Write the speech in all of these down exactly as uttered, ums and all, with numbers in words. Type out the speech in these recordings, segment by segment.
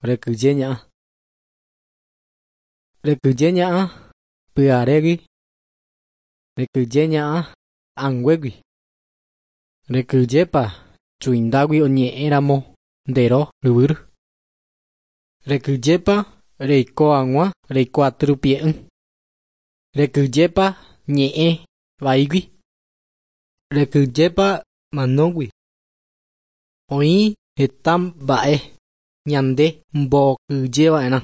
Rekyje ña'a. Rekyje ña'a pyharégui. Rekyje ña'a anguégui. Rekyjépa chuindágui oñe'ẽramo ndero ryvýry. Rekyjépa reiko hag̃ua reiko atyrupi'ỹ. Rekyjépa ñe'ẽ vaígui. Rekyjépa manógui. Oĩ heta mba'e ñande mbokyjeva'erã.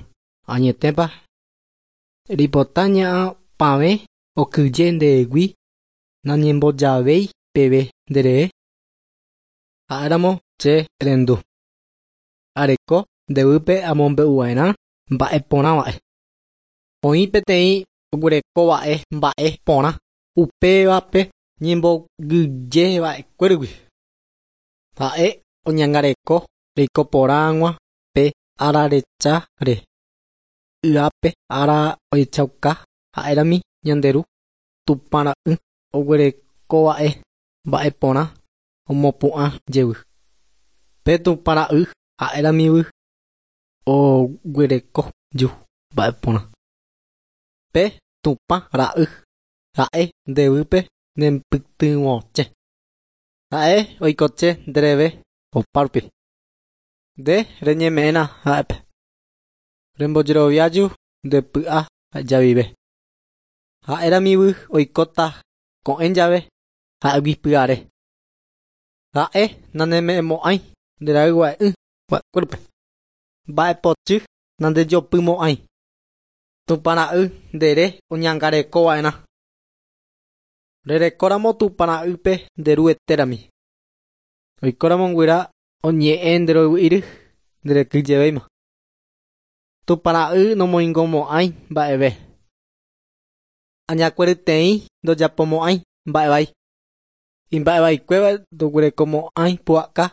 Añetépa reipota ña'a pavẽ okyje ndehegui nañembojavéi peve nderehe. Ha'éramo che rendu. Areko ndévype amombe'uva'erã mba'eporãva'e. Oĩ peteĩ oguerekova'e mba'e porã upévape ñembogyjeva'ekuérugui. Ha'e oñangareko reiko porã hag̃ua pe ararecháre. Yápe ára ohechauka ha'érami ñande ru Tupãra'y oguerekova'e mba'eporã omopu'ã jey. Pe Tupãra'y ha'éramivy oguereko ju mba'eporã. Pe Tupãra'y ha'e ndévype nempytyvõche. Ha'e oikoche ndereve opárupi. Nde reñeme'ẽna ha'épe. Rembojeroviaju ndepy'a javive. Ha'éramivy oikóta ko'ẽ jave ha'égui pyhare. Ha'e naneme'ẽmo'ãi nderayhu'ỹ va'ekuépe. Mba'epochy nandejopymo'ãi. Tupãra'y ndere oñangarekova'erã. Rerekóramo Tupãra'ýpe nderuetérami. Oikóramo guyra oñe'ẽ nderoyvýre nderekyjevéima. Tupãra'y nomoingomo'ãi mba'eve. Añakueryteĩ ndojapomo'ãi mba'evai. Imba'evaikuéva ndoguerekomo'ãi pu'aka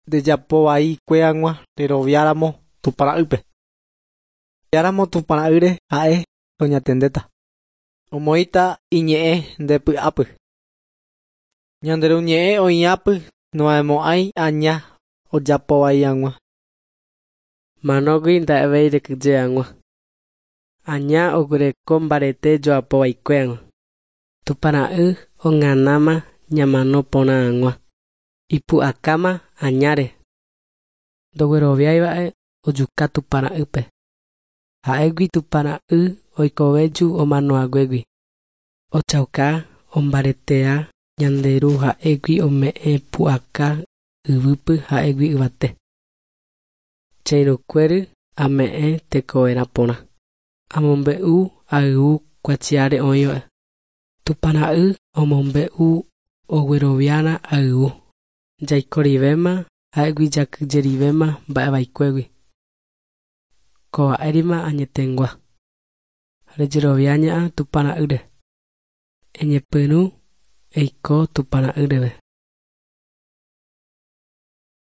ndejapovaikue hag̃ua reroviáramo Tupãra'ýpe. Reroviáramo Tupãra'ýre ha'e oñatendéta. Omoĩta iñe'ẽ nde py'ápy. Ñande Ru ñe'ẽ oĩhápy noha'ẽmo'ãi aña ojapovai hag̃ua. Manógui nda'evéi rekyje hag̃ua. Aña oguereko mbarete joapova'ekue hag̃ua. Tupãra'y og̃anáma ñamano porã hag̃ua. Ipu'akáma añáre. Ndogueroviáiva'e ojuka Tupãra'ýpe. Ha'égui Tupãra'y oikovéju omanohaguégui. Ochauka ombareteha ñande Ru ha'égui ome'ẽ pu'aka yvýpy ha'égui yvate. Che irũkuéry ame'ẽ tekoverã porã. Amombe'u ayvu kuatiáre oĩva. Tupãra'y omombe'u ogueroviána ayvu. Jaikorivéma ha'égui jakyjerivéma mba'evaikuégui. Kova'érima añetegua. Rejerovia ña'a Tupãra'ýre. Eñepyrũ eiko Tupãra'ýreve.